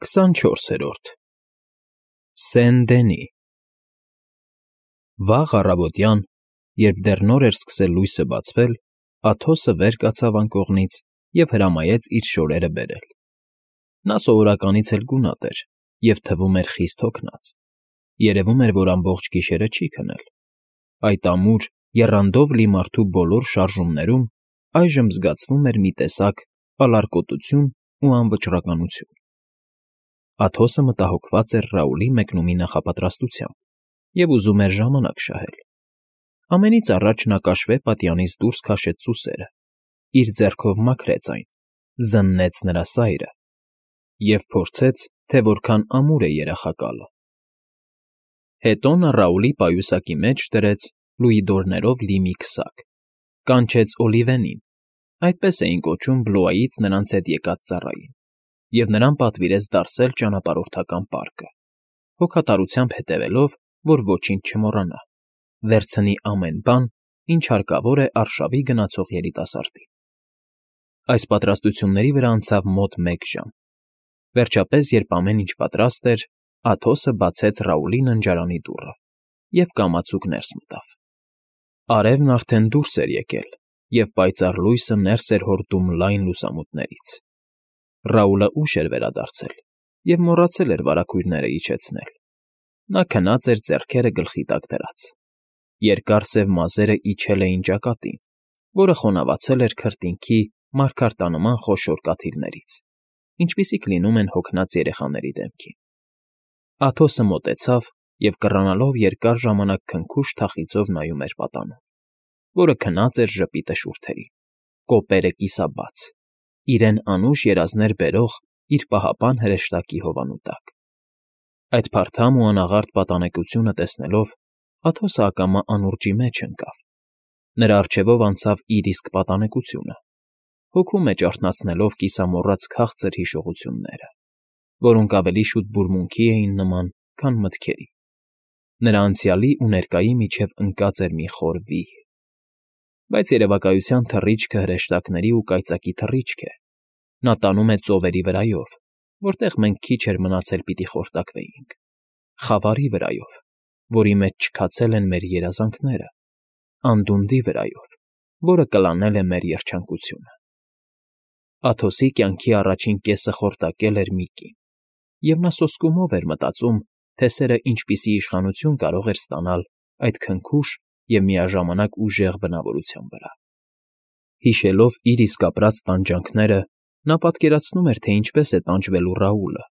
24-րդ Սեն֊Դենի Վաղ առավոտյան, երբ դեռ նոր էր սկսել լույսը բացվել, Աթոսը վեր կացավ անկողնից և հրամայեց իր շորերը բերել. նա սովորականից էլ գունատ էր և թվում էր խիստ հոգնած, երևում էր, որ ամբողջ գիշերը չի քնել. այդ ամուր, եռանդով լի մարդու բոլոր շարժումներում այժմ զգացվում էր մի տեսակ ալարկոտություն ու անվճռականություն։ Աթոսը մտահոգված էր Ռաուլի մեկնումի նախապատրաստությամբ և ուզում էր ժամանակ շահել։ Ամենից առաջ նա կաշվե պատյանից դուրս քաշեց ծուսերը, իր ձեռքով մաքրեց այն, զննեց նրա սայրը և փորձեց, թե որքան ամուր է երախակալը։ Հետո նա Ռաուլի պայուսակի մեջ դրեց լուիդորներով լի մի քսակ, կանչեց Օլիվենին, այդպես էին կոչում Բլոյից նրանց հետ եկած ծառային, և նրան պատվիրեց դարսել ճանապարհորդական պարկը, հոգատարությամբ հետևելով, որ ոչինչ չմոռանա, վերցնի ամեն բան, ինչ հարկավոր է արշավի գնացող երիտասարդին։ Այս պատրաստությունների վրա անցավ մոտ մեկ ժամ։ Վերջապես, երբ ամեն ինչ պատրաստ էր, Աթոսը բացեց Ռաուլի ննջարանի դուռը և կամացուկ ներս մտավ։ Արևն արդեն դուրս էր եկել, և պայծառ լույսը ներս էր հորդում լայն լուսամուտներից։ Ռաուլը ուշ էր վերադարձել և մոռացել էր վարագույրները իջեցնել։ Նա քնած էր ձեռքերը գլխի տակ դրած։ Երկար սև մազերը իջել էին ճակատին, որը խոնավացել էր քրտինքի մարգարտանման խոշոր կաթիլներից, ինչպիսիք լինում են հոգնած երեխաների դեմքին։ Աթոսը մոտեցավ և կռանալով երկար ժամանակ քնքուշ թախիծով նայում էր պատանուն, որը քնած էր ժպիտը շուրթերին, կոպերը կիսաբաց, իրեն անուշ երազներ բերող իր պահապան հրեշտակի հովանու տակ։ Այդ փարթամ ու անաղարտ պատանեկությունը տեսնելով, Աթոսը ակամա անուրջի մեջ ընկավ։ Նրա առջևով անցավ իր իսկ պատանեկությունը, հոգու մեջ արթնացնելով կիսամոռաց քաղցր հիշողությունները, որոնք ավելի շուտ բուրմունքի էին նման, քան մտքերի։ Նրա անցյալի ու ներկայի միջև ընկած էր մի խոր վիհ։ Բայց երևակայության թռիչքը հրեշտակների ու կայծակի թռիչք է։ Նա տանում է ծովերի վրայով, որտեղ մենք քիչ էր մնացել պիտի խորտակվեինք, խավարի վրայով, որի մեջ չքացել են մեր երազանքները, անդունդի վրայով, որը կլանել է մեր երջանկությունը։ Աթոսի կյանքի առաջին կեսը խորտակել էր մի կին, և նա սոսկումով էր մտածում, թե սերը ինչպիսի իշխանություն կարող էր ստանալ այդ քնքուշ և միաժամանակ ուժեղ բնավորության վրա։ Հիշելով իր իսկ ապրած տանջանքները, նա պատկերացնում էր, թե ինչպես է տանջվելու Ռաուլը,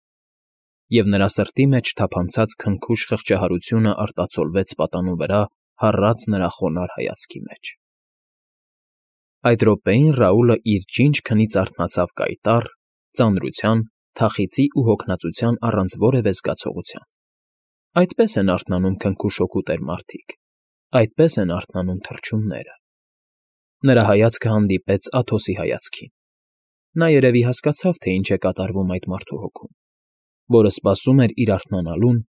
և նրա սրտի մեջ թափանցած քնքուշ խղճահարությունը արտացոլվեց պատանու վրա հառած նրա խոնարհ հայացքի մեջ։ Այդ րոպեին Ռաուլը իր ջինջ քնից արթնացավ կայտառ, ծանրության, թախիծի ու հոգնածության առանց որևէ զգացողության։ Այդպես են արթնանում քնքուշ հոգուտեր մարդիկ, այդպես են արթնանում թռչունները։ Նրա հայացքը հանդիպեց Աթոսի հայացքին։ Նա երևի հասկացավ, թե ինչ է կատարվում այդ մարդու հոգում, որը սպասում էր իր արթնանալուն,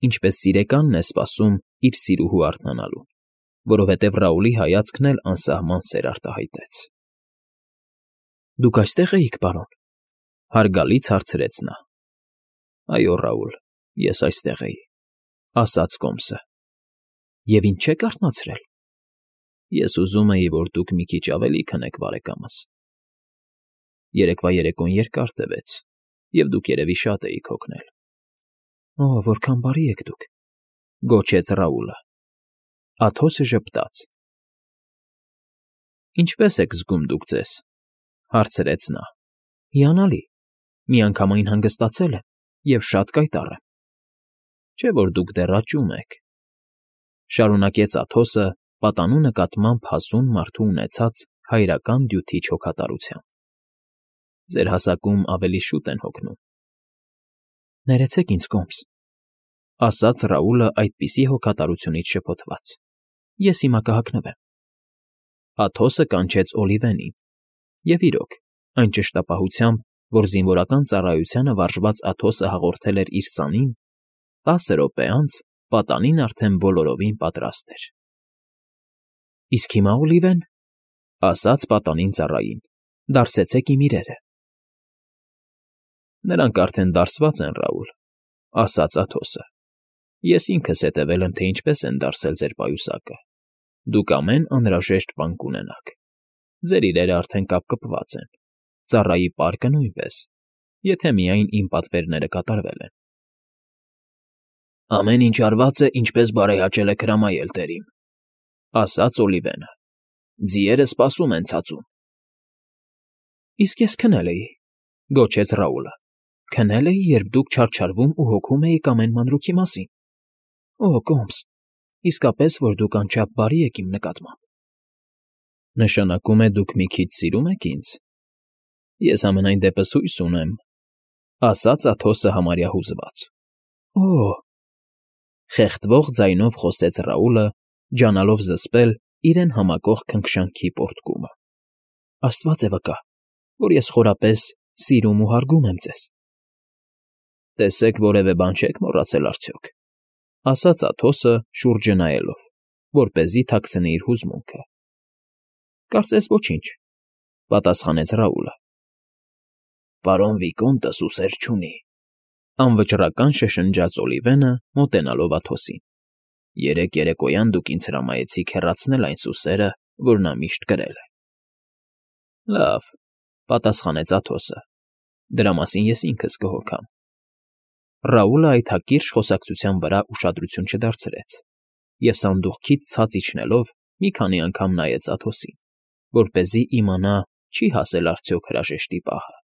ինչպես սիրեկանն է սպասում իր սիրուհու արթնանալուն, որովհետև Ռաուլի հայացքն էլ անսահման սեր արտահայտեց։ ֊ Դուք այստե՞ղ էիք, պարոն,֊ հարգալից հարցրեց նա։ ֊ Այո, Ռաուլ, ես այստեղ էի,֊ ասաց կոմսը։ ֊ Եվ ինչ չեք արթնացրել։ ֊ Ես ուզում էի, որ դուք մի քիչ ավելի քնեք, բարեկամս։ Երեկվա երեկոն երկար տևեց, և դուք երևի շատ էիք հոգնել։ ֊ Օ՜, որքան բարի եք դուք,֊ գոչեց Ռաուլը։ Աթոսը ժպտաց։ ֊ Ինչպե՞ս եք զգում դուք ձեզ,֊ հարցրեց նա։ ֊ Հիանալի, միանգամայն հանգստացել եմ և շատ կայտառ եմ։ ֊ Չէ՞ որ դուք դեռ աճում եք,֊ շարունակեց Աթոսը պատանու նկատմամբ հասուն մարդու ունեցած հայրական դյութիչ հոգատարությամբ։ ֊ Ձեր հասակում ավելի շուտ են հոգնում։ ֊ Ներեցեք ինձ, կոմս,֊ ասաց Ռաուլը այդպիսի հոգատարությունից շփոթված,֊ ես հիմա կհագնվեմ։ Աթոսը կանչեց Օլիվենին, և իրոք, այն ճշտապահությամբ, որ զինվորական ծառայությանը վարժված Աթոսը հաղորդել էր իր սանին, 10 րոպե անց պատանին արդեն բոլորովին պատրաստ էր։ ֊ Իսկ հիմա, Օլիվեն,֊ ասաց պատանին ծառային,֊ դարսեցեք իմ իրերը։ Նրանք արդեն դարսված են, Ռաուլ,֊ ասաց Աթոսը։ Ես ինքս հետևել եմ, թե ինչպես են դարսել ձեր պայուսակը։ Դուք ամեն անհրաժեշտ բան կունենաք։ Ձեր իրերը արդեն կապկպված են, ծառայի պարկը նույնպես, եթե միայն իմ պատվերները կատարվել են։ Ամեն ինչ արված է, ինչպես բարեհաճել եք հրամայել, տերիմ,֊ ասաց Օլիվենը։ Ձիերը սպասում են ցածում։ Իսկ ես քնել էի,֊ գոչեց Ռաուլը։ Քնել էի, երբ դուք չարչարվում ու հոգում էիք ամեն մանրուքի մասին։ Օ, Կոմս, իսկապես, որ դուք անչափ բարի եք իմ նկատմամբ։ Նշանակում է դուք մի քիչ սիրում եք ինձ։ Ես ամենայն դեպս հույս ունեմ,֊ ասաց Աթոսը համարյա հուզված։ Օ՜, խեղդվող ձայնով խոսեց Ռաուլը, ջանալով զսպել իրեն համակող քնքշանքի պոռթկումը։ Աստված է վկա, որ ես խորապես սիրում ու հարգում եմ ձեզ։ Տեսեք, որևէ բան չեք մոռացել արդյոք,֊ ասաց Աթոսը շուրջը նայելով, որպեսզի թաքցնի իր հուզմունքը։ Կարծես ոչինչ,֊ պատասխանեց Ռաուլը։ Պարոն Վիկոնտը սուսեր չունի,֊ անվճռական շշնջաց Օլիվենը, մոտենալով Աթոսին։ Երեկ երեկոյան դուք ինձ հրամայեցիք հեռացնել այն սուսերը, որ նա միշտ կրել է։ Լավ,֊ պատասխանեց Աթոսը։ Դրա մասին ես ինքս կհոգամ։ Ռաուլը այդ հակիրճ խոսակցության վրա ուշադրություն չդարձրեց և սանդուղքից ցած իջնելով մի քանի անգամ նայեց Աթոսին, որպեսզի իմանա չի հասել արդյոք հրաժեշտի պահը։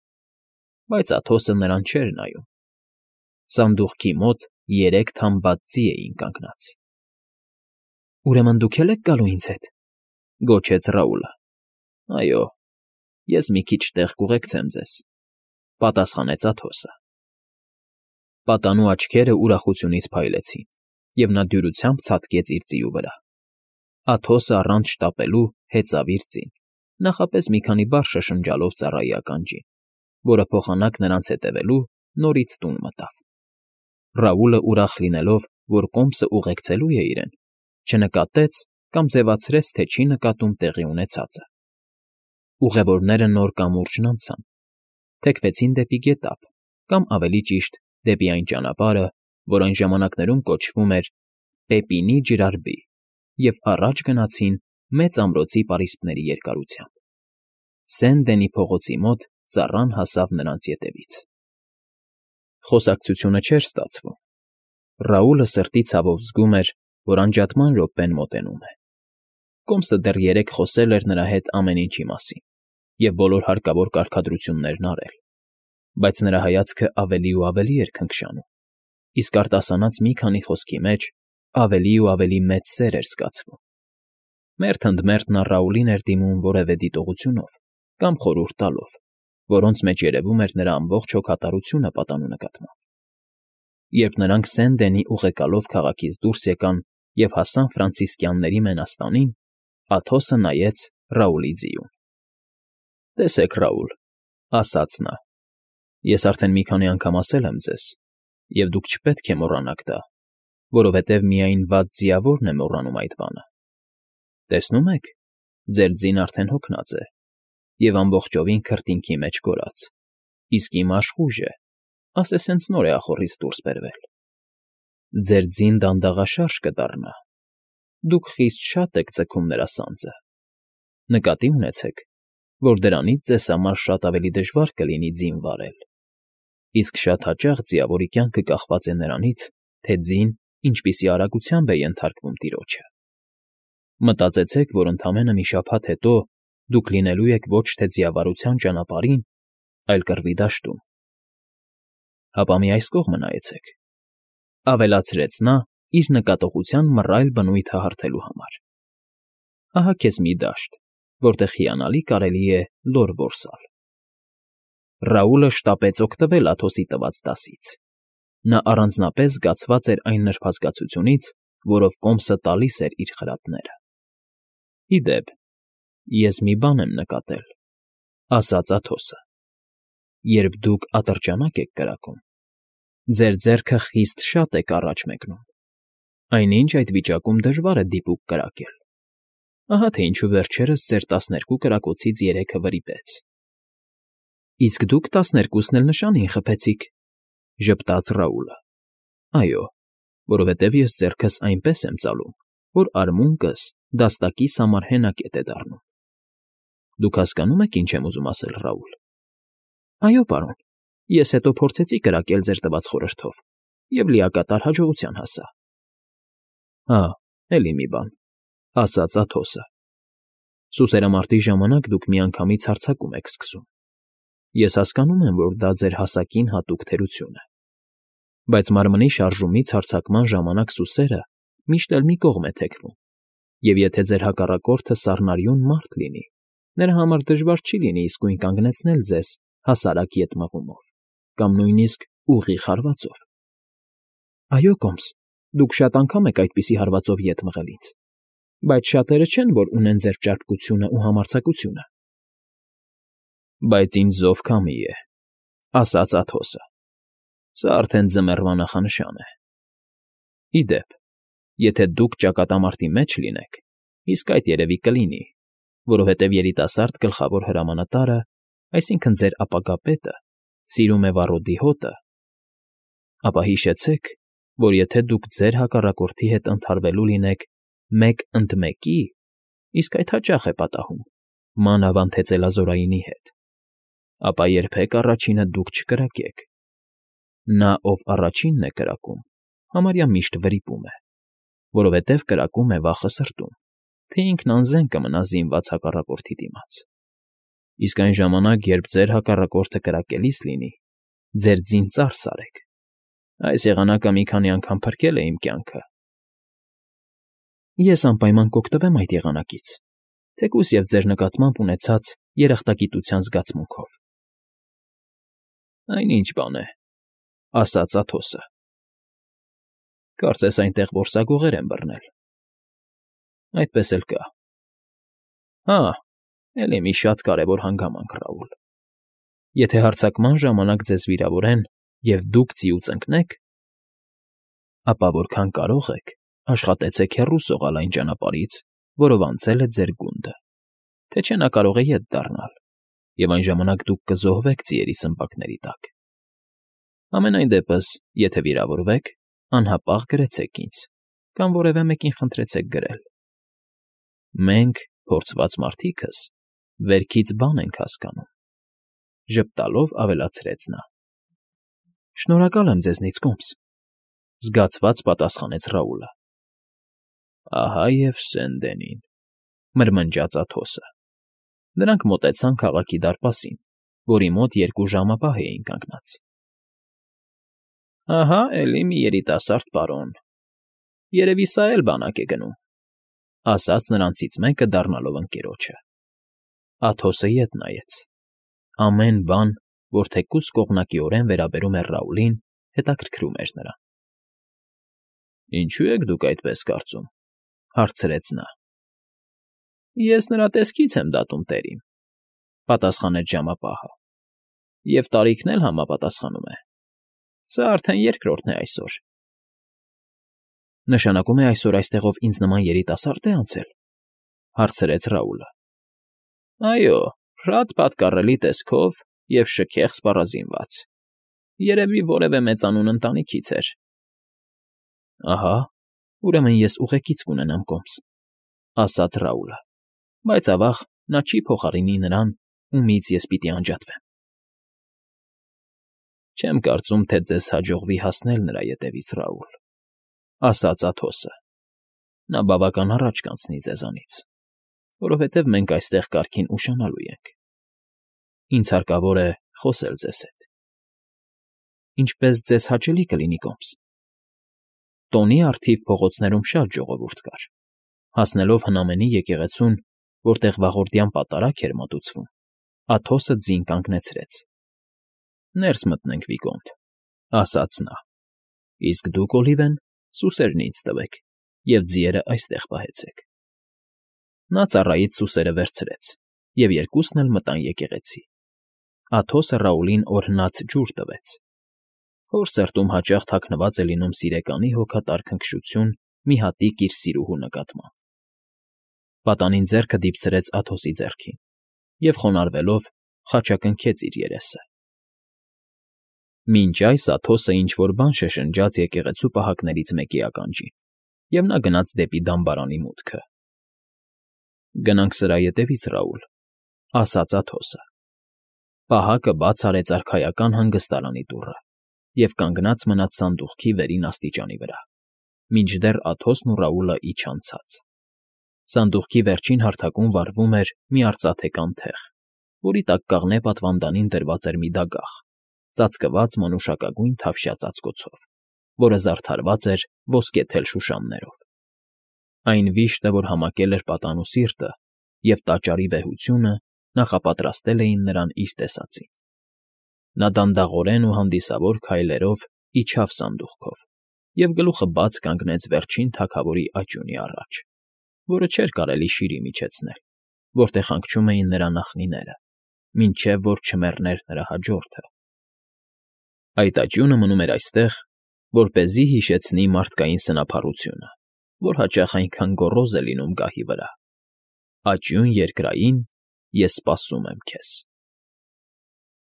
Բայց Աթոսը նրան չէր նայում։ Սանդուղքի մոտ 3 թամբած ձի էին կանգնած։ Ուրեմն դուք էլ եք գալու ինձ հետ,֊ գոչեց Ռաուլը։ Այո, ես մի քիչ տեղ կուղեկցեմ ձեզ,֊ պատասխանեց Աթոսը։ Պատանու աչքերը ուրախությունից փայլեցին, և նա դյուրությամբ ցատկեց իր ձիու վրա։ Աթոսը առանց շտապելու հեծավ իր ձին, նախապես մի քանի բառ շշնջալով ծառայի ականջին, որը փոխանակ նրանց հետևելու նորից տուն մտավ։ Ռաուլը ուրախ լինելով, որ Կոմսը ուղեկցելու է իրեն, չնկատեց կամ ձևացրեց, թե չի նկատում տեղի ունեցածը։ Ուղևորները նոր կամուրջն անցան, թեքվեցին դեպի գետափ, կամ ավելի ճիշտ, դեպի այն ճանապարհը, որ այն ժամանակներում կոչվում էր Պեպինի ջրարբի, և առաջ գնացին մեծ ամրոցի պարիսպների երկարությամբ։ Սեն֊Դենի փողոցի մոտ ծառան հասավ նրանց ետևից։ Խոսակցությունը չէր ստացվում։ Ռաուլը սրտի ցավով զգում էր, որ անջատման րոպեն մոտենում է։ Կոմսը դեռ երեկ խոսել էր նրա հետ ամեն ինչի մասին և բոլոր հարկավոր կարգադրություններն արել, բայց նրա հայացքը ավելի ու ավելի էր քնքշանում, իսկ արտասանած մի քանի խոսքի մեջ ավելի ու ավելի մեծ սեր էր զգացվում։ Մերթ ընդ մերթ նա Ռաուլին էր դիմում որևէ դիտողությունով կամ խորհուրդ տալով, որոնց մեջ երևում էր նրա ամբողջ հոգատարությունը պատանու նկատմամբ։ Երբ նրանք Սեն֊Դենի ուղեկալով քաղաքից դուրս եկան և հասան ֆրանցիսկյանների մենաստանին, Աթոսը նայեց Ռաուլի ձիուն։ Տեսեք, Ռաուլ,֊ ասաց նա, ես արդեն մի քանի անգամ ասել եմ ձեզ, և դուք չպետք է մոռանաք դա, որովհետև միայն վատ ձիավորն է մոռանում այդ բանը։ Տեսնում եք, ձեր ձին արդեն հոգնած է և ամբողջովին քրտինքի մեջ կորած, իսկ իմ աշխույժ է, ասես հենց նոր է ախոռից դուրս բերվել։ Ձեր ձին դանդաղաշարժ կդառնա։ Դուք խիստ շատ եք ձգում նրա սանձը։ Նկատի ունեցեք, որ դրանից ձեզ համար շատ ավելի դժվար կլինի ձին վարել, իսկ շատ հաճախ ձիավորի կյանքը կախված է նրանից, թե ձին ինչպիսի արագությամբ է ենթարկվում տիրոջը։ Մտածեցեք, որ ընդամենը մի շաբաթ հետո դուք լինելու եք ոչ թե ձիավարության ճանապարհին, այլ կռվի դաշտում։ Հապա մի այս կողմը նայեցեք,֊ ավելացրեց նա իր նկատողության մռայլ բնույթը հարթելու համար։ Ահա քեզ մի դաշտ, որտեղ հիանալի կարելի է լոր որսալ։ Ռաուլը շտապեց օգտվել Աթոսի տված դասից։ Նա առանձնապես զգացված էր այն նրբազգացությունից, որով Կոմսը տալիս էր իր խրատները։ Ի դեպ, ես մի բան եմ նկատել,֊ ասաց Աթոսը. երբ դուք ատրճանակ եք կրակում, ձեր ձեռքը խիստ շատ եք առաջ մեկնում, այնինչ այդ վիճակում դժվար է դիպուկ կրակել։ Ահա թե ինչու վերջերս ձեր 12 կրակոցից 3-ը վրիպեց։ Իսկ դուք 12-ն էլ նշանին խփեցիք,֊ ժպտաց Ռաուլը։ Այո, որովհետև ես ձեռքս այնպես եմ ծալում, որ արմունկս դաստակի սամար հենակետ է դառնում։ Դուք հասկանո՞ւմ եք, ինչ եմ ուզում ասել, Ռաուլ։ Այո, պարոն, ես հետո փորձեցի կրակել ձեր տված խորհրդով և լիակատար հաջողության հասա։ Հա, էլի մի բան,֊ ասաց Աթոսը։ Սուսերամարտի ժամանակ դուք միանգամից հարձակում եք սկսում։ Ես հասկանում եմ, որ դա ձեր հասակին հատուկ թերություն է։ Բայց մարմնի շարժումից հարձակման ժամանակ սուսերը միշտ էլ մի կողմ է թեքվում, և եթե ձեր հակառակորդը սառնարյուն մարդ լինի, նրա համար դժվար չի լինի իսկույն կանգնեցնել ձեզ հասարակ ետ մղումով կամ նույնիսկ ուղիղ հարվածով։ Այո, Կոմս, դուք շատ անգամ եք այդպիսի հարվածով ետ մղել ինձ, բայց շատերը չեն, որ ունեն ձեր ճարպկությունն ու համարձակությունը։ Բայց ինձ զով քամի է,֊ ասաց Աթոսը։ Սա արդեն ձմեռվա նախանշան է։ Ի դեպ, եթե դուք ճակատամարտի մեջ լինեք, իսկ այդ երևի կլինի, որովհետև երիտասարդ գլխավոր հրամանատարը, այսինքն ձեր ապագա պետը, սիրում է վառոդի հոտը, ապա հիշեցեք, որ եթե դուք ձեր հակառակորդի հետ ընդհարվելու լինեք 1-ընդ 1-ի, իսկ այդ հաճախ է պատահում, մանավանդ հեծելազորայինի հետ, ապա երբեք առաջինը դուք չկրակեք։ Նա, ով առաջինն է կրակում, համարյա միշտ վրիպում է, որովհետև կրակում է վախը սրտում, թե ինքն անզեն կմնա զինված հակառակորդի դիմաց։ Իսկ այն ժամանակ, երբ ձեր հակառակորդը կրակելիս լինի, ձեր ձին ծարս արեք։ Այս եղանակը մի քանի անգամ փրկել է իմ կյանքը։ Ես անպայման կօգտվեմ այդ եղանակից, թեկուզ և ձեր նկատմամբ ունեցած երախտագիտության զգացմունքով։ Այն ինչ բան է,֊ ասաց Աթոսը։ Կարծես այնտեղ որսագողեր են բռնել։ Այդպես էլ կա։ Հա, էլի մի շատ կարևոր հանգամանք, Ռաուլ։ Եթե հարձակման ժամանակ ձեզ վիրավորեն և դուք ծիուց ընկնեք, ապա որքան կարող եք, աշխատեցեք հեռու սողալ այն ճանապարհից, որով անցել է ձեր գունդը, թե չէ նա կարող է ետ դառնալ, և այն ժամանակ դուք կզոհվեք ձիերի սմբակների տակ։ Համենայն դեպս, եթե վիրավորվեք, անհապաղ գրեցեք ինձ կամ որևէ մեկին խնդրեցեք գրել։ Մենք, փորձված մարդիկս, վերքից բան ենք հասկանում,֊ ժպտալով ավելացրեց նա։ Շնորհակալ եմ ձեզնից, Կոմս,֊ զգացված պատասխանեց Ռաուլը։ Ահա և Սենդենին,֊ մրմնջաց Աթոսը։ Նրանք մոտեցան քաղաքի դարպասին, որի մոտ 2 ժամապահ էին կանգնած։ Ահա էլի մի երիտասարդ պարոն, երևի սա էլ բանակ է գնում,֊ ասաց նրանցից մեկը, դառնալով ընկերոջը։ Աթոսը ետ նայեց։ Ամեն բան, որ թեկուզ կողմնակիորեն վերաբերում էր Ռաուլին, հետաքրքրում էր նրան։ Ինչո՞ւ եք դուք այդպես կարծում,֊ հարցրեց նա։ Ես նրա տեսքից եմ դատում, տերին,֊ պատասխանեց ժամապահը,֊ և տարիքն էլ համապատասխանում է։ Սա արդեն երկրորդն է այսօր։ Նշանակում է այսօր այստեղով ինձ նման երիտասարդ է անցել,֊ հարցրեց Ռաուլը։ Այո, շատ պատկառելի տեսքով և շքեղ սպառազինված։ Երևի որևէ մեծանուն ընտանիքից էր։ Ահա, ուրեմն ես ուղեկից կունենամ, Կոմս,֊ ասաց Ռաուլը, բայց ավաղ նա չի փոխարինի նրան, ումից ես պիտի անջատվեմ։ Չեմ կարծում, թե ձեզ հաջողվի հասնել նրա ետևից, Ռաուլ,֊ ասաց Աթոսը։ Նա բավական առաջ կանցնի ձեզանից, որովհետև մենք այստեղ կարգին ուշանալու ենք։ Ինձ հարկավոր է խոսել ձեզ հետ։ Ինչպես ձեզ հաճելի կլինի, Կոմս։ Տոնի առթիվ փողոցներում շատ ժողովուրդ կար։ Հասնելով հնամենի եկեղեցուն, որտեղ վաղորդյան պատարագ էր մատուցվում, Աթոսը ձին կանգնեցրեց։ Ներս մտնենք, Վիգոնտ,֊ ասաց նա։ Իսկ դուք, Օլիվեն, սուսերն ինձ տվեք և ձիերը այստեղ պահեցեք։ Նա ծառայից սուսերը վերցրեց, և երկուսն էլ մտան եկեղեցի։ Աթոսը Ռաուլին օրհնած ջուր տվեց։ Հոր սրտում հաճախ թաքնված է լինում սիրեկանի հոգատար քնքշություն մի հատիկ իր սիրուհու նկատմամբ։ Պատանին ձեռքը դիպցրեց Աթոսի ձեռքին և, խոնարհվելով, խաչակնքեց իր երեսը։ Մինչ այս Աթոսը ինչ֊որ բան շշնջաց եկեղեցու պահակներից մեկի ականջին, և նա գնաց դեպի դամբարանի մուտքը։ «Գնանք սրա ետևից, Ռաուլ,֊ ասաց Աթոսը։ Պահակը բաց արեց արքայական հանգստարանի դուռը և կանգնած մնաց սանդուղքի վերին աստիճանի վրա, մինչդեռ Աթոսն ու Ռաուլը իջան ցած։ Սանդուղքի վերջին հարթակում վառվում էր մի արծաթե թեղ, որի տակ կաղնե պատվանդանին դրված էր մի դագաղ, ծածկված մանուշակագույն թավշյա ծածկոցով, որը զարդարված էր ոսկեթել շուշաններով։ Այն վիշտը, որ համակել էր պատանու սիրտը, և տաճարի վեհությունը նախապատրաստել էին նրան իր տեսածին։ Նա դանդաղորեն ու հանդիսավոր քայլերով իջավ սանդուղքով և գլուխը բաց կանգնեց վերջին թագավորի աճյունի առաջ, որը չէր կարելի շիրի միջեցնել, որտեղ հանգչում էին նրա նախնիները, մինչև որ չմեռներ նրա հաջորդը։ Այդ աճյունը մնում էր այստեղ, որպեսզի հիշեցնի մարդկային սնափառությունը, որ հաճախ այնքան գոռոզ է լինում գահի վրա։ Աճյուն երկրային, ես սպասում եմ քեզ։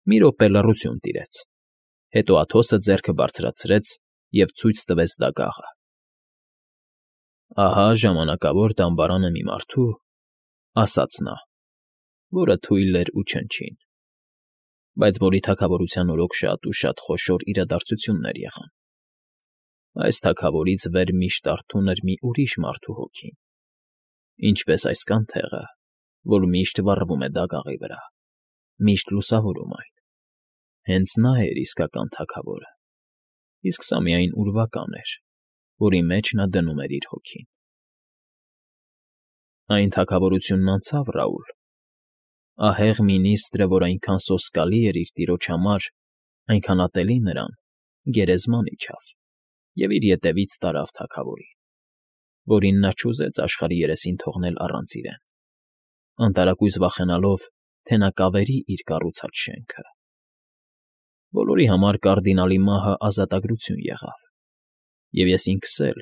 Մի րոպե լռություն տիրեց, հետո Աթոսը ձեռքը բարձրացրեց և ցույց տվեց դագաղը։ Ահա ժամանակավոր դամբարանը մի մարդու, ասաց նա, որը թույլ էր ու չնչին, բայց որի թագավորության օրոք շատ ու շատ խոշոր իրադարձություններ եղան։ Այս թագավորից վեր միշտ արթուն էր մի ուրիշ մարդու հոգին, ինչպես այս կանթեղը, որ միշտ վառվում է դագաղի վրա, միշտ լուսավորում այն։ Հենց նա էր իսկական թագավորը, իսկ սա միայն ուրվական էր, որի մեջ նա դնում էր իր հոգին։ Այն թագավորությունն անցավ, Ռաուլ։ Ահեղ մինիստրը, որ այնքան սոսկալի էր իր տիրոջ համար, այնքան ատելի նրան, գերեզման իջավ և իր ետևից տարավ թագավորին, որին նա չուզեց աշխարհի երեսին թողնել առանց իրեն, անտարակույս վախենալով, թե նա կավերի իր կառուցած շենքը։ Բոլորի համար կարդինալի մահը ազատագրություն եղավ, և ես ինքս էլ,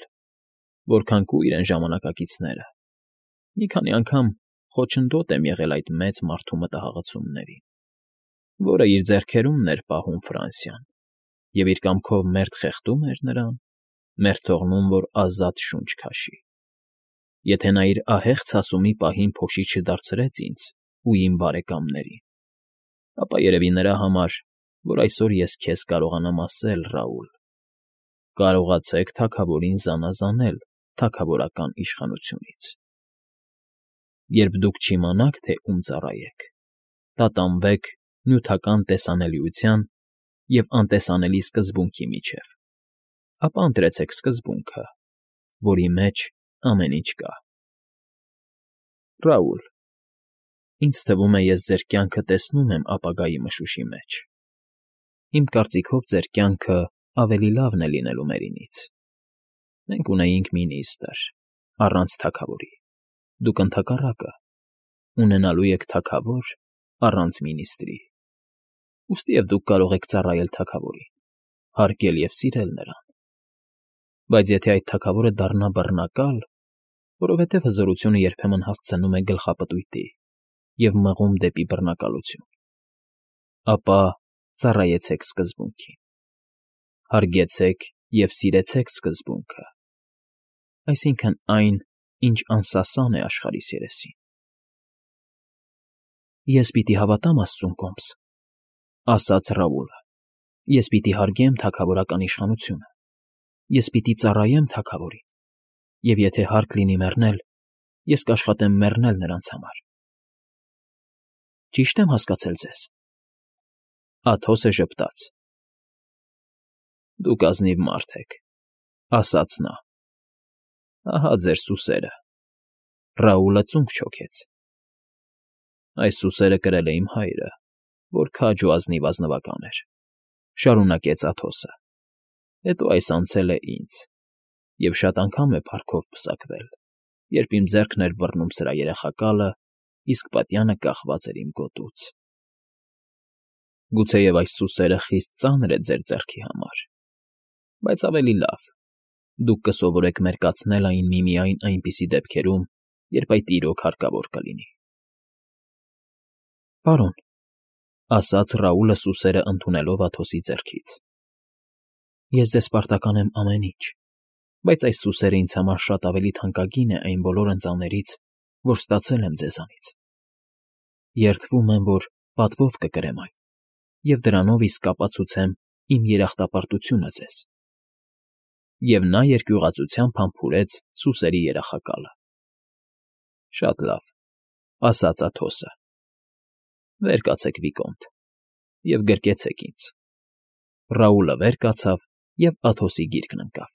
որքան կույր են ժամանակակիցները, մի քանի անգամ խոչընդոտ եմ եղել այդ մեծ մարդու մտահղացումներին, որը իր ձեռքերումն էր պահում Ֆրանսիան և իր կամքով մերթ խեղդում էր նրան, մերթ թողնում, որ ազատ շունչ քաշի։ Եթե նա իր ահեղ ցասումի պահին փոշի չդարձրեց ինձ ու իմ բարեկամներին, ապա երևի նրա համար, որ այսօր ես քեզ կարողանամ ասել, Ռաուլ, կարողացեք թագավորին զանազանել թագավորական իշխանությունից։ Երբ դուք չիմանաք, թե ում ծառայեք, տատանվեք նյութական տեսանելիության և անտեսանելի սկզբունքի միջև, ապա ընտրեցեք սկզբունքը, որի մեջ ամեն ինչ կա։ Ռաուլ, ինձ թվում է, ես ձեր կյանքը տեսնում եմ ապագայի մշուշի մեջ։ Իմ կարծիքով ձեր կյանքը ավելի լավն է լինելու մերինից։ Մենք ունեինք մինիստր, առանց թագավորի, դուք ընդհակառակը, ունենալու եք թագավոր առանց մինիստրի, ուստիև դուք կարող եք ծառայել թագավորին, հարգել և սիրել նրան։ Բայց եթե այդ թագավորը դառնա բռնակալ, որովհետև հզորությունը երբեմն հասցնում է գլխապտույտի և մղում դեպի բռնակալություն, ապա ծառայեցեք սկզբունքին, հարգեցեք և սիրեցեք սկզբունքը, այսինքն այն, ինչ անսասան է աշխարհիս երեսին։ Ես պիտի հավատամ Աստծուն, կոմս,֊ ասաց Ռաուլը։ Ես պիտի հարգեմ թագավորական իշխանությունը, ես պիտի ծառայեմ թագավորին, և եթե հարկ լինի մեռնել, ես կաշխատեմ մեռնել նրանց համար։ Ճի՞շտ եմ հասկացել ձեզ։ Աթոսը ժպտաց։ Դուք ազնիվ մարդ եք,֊ ասաց նա։ Ահա ձեր սուսերը։ Ռաուլը ծունկ չոքեց։ Այս սուսերը կրել է իմ հայրը, որ քաջ ու ազնիվ ազնվական էր,֊ շարունակեց Աթոսը։ Հետո այս անցել է ինձ, և շատ անգամ է փառքով պսակվել, երբ իմ ձեռքն էր բռնում սրա երախակալը, իսկ պատյանը կախված էր իմ գոտուց։ Գուցեև այս սուսերը խիստ ծանր է ձեր ձեռքի համար, բայց ավելի լավ, դուք կսովորեք մերկացնել այն միմիայն այնպիսի դեպքերում, երբ այդ իրոք հարկավոր կլինի։ Պարոն, ասաց Ռաուլը սուսերը ընդունելով Աթոսի ձեռքից։ Ես ձեզ պարտական եմ ամեն ինչ, բայց այս սուսերը ինձ համար շատ ավելի թանկագին է այն բոլոր ընծաներից, որ ստացել եմ ձեզանից։ Երդվում եմ, որ պատվով կկրեմ այն, և դրանով իսկ կապացուցեմ իմ երախտապարտությունը ձեզ։ Եվ նա երկյուղածությամբ համբուրեց սուսերի երախակալը։ Շատ լավ, ասաց Աթոսը։ Վեր կացեք, Վիկոնտ, և գրկեցեք ինձ։ Ռաուլը վեր կացավ և Աթոսի գիրկն ընկավ։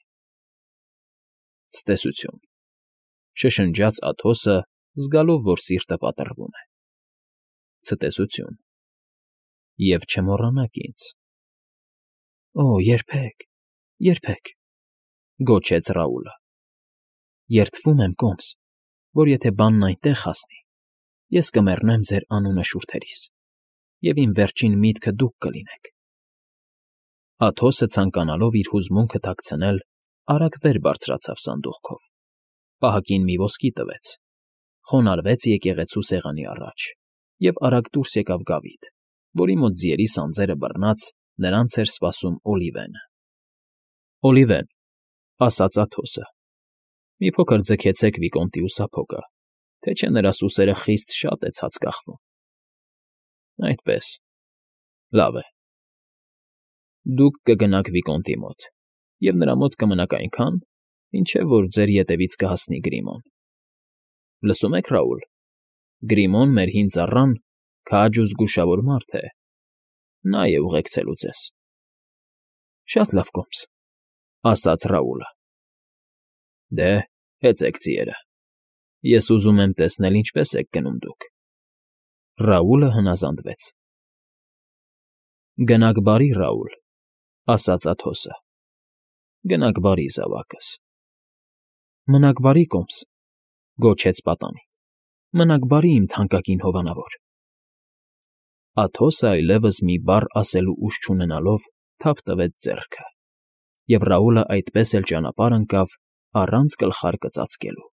Ցտեսություն, շշնջաց Աթոսը, զգալով, որ սիրտը պատռվում է։ Ցտեսություն, և չմոռանաք ինձ։ Օ, երբեք, երբեք, գոչեց Ռաուլը։ Երդվում եմ, կոմս, որ եթե բանն այնտեղ հասնի, ես կմեռնեմ ձեր անունը շուրթերիս, և իմ վերջին միտքը դուք կլինեք։ Աթոսը, ցանկանալով իր հուզմունքը թաքցնել, արագ վեր բարձրացավ սանդուղքով, պահակին մի ոսկի տվեց, խոնարհվեց եկեղեցու սեղանի առաջ և արագ դուրս եկավ գավիթ, որի մոտ ձիերի սանձերը բռնած նրանց էր սպասում Օլիվենը։ Օլիվեն, ասաց Աթոսը, մի փոքր ձգեցեք Վիկոնտի ուսափոկը, թե չէ նրա սուսերը խիստ շատ է ցած կախվում։ Այդպես, լավ է։ Դուք կգնաք Վիկոնտի մոտ և նրա մոտ կմնաք այնքան, մինչև որ ձեր ետևից կհասնի Գրիմոն։ Լսում եք, Ռաուլ, Գրիմոն, մեր հին ծառան, քաջ ու զգուշավոր մարդ է, նա է ուղեկցելու ձեզ։ Շատ լավ, կոմս, ասաց Ռաուլը։ Դե, հեծեք ձիերը, ես ուզում եմ տեսնել ինչպես եք գնում դուք։ Ռաուլը հնազանդվեց։ Գնաք բարի, Ռաուլ, ասաց Աթոսը։ Գնաք բարի, զավակս։ Մնաք բարի, կոմս, գոչեց պատանին։ Մնաք բարի, իմ թանկագին հովանավոր։ Աթոսը այլևս մի բառ ասելու ուժ չունենալով թափ տվեց ձեռքը, և Ռաուլը այդպես էլ ճանապարհ ընկավ առանց գլխարկը ծածկելու։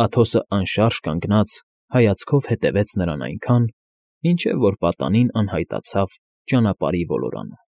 Աթոսը անշարժ կանգնած հայացքով հետևեց նրան այնքան, մինչև որ պատանին անհայտացավ ճանապարհի ոլորանում։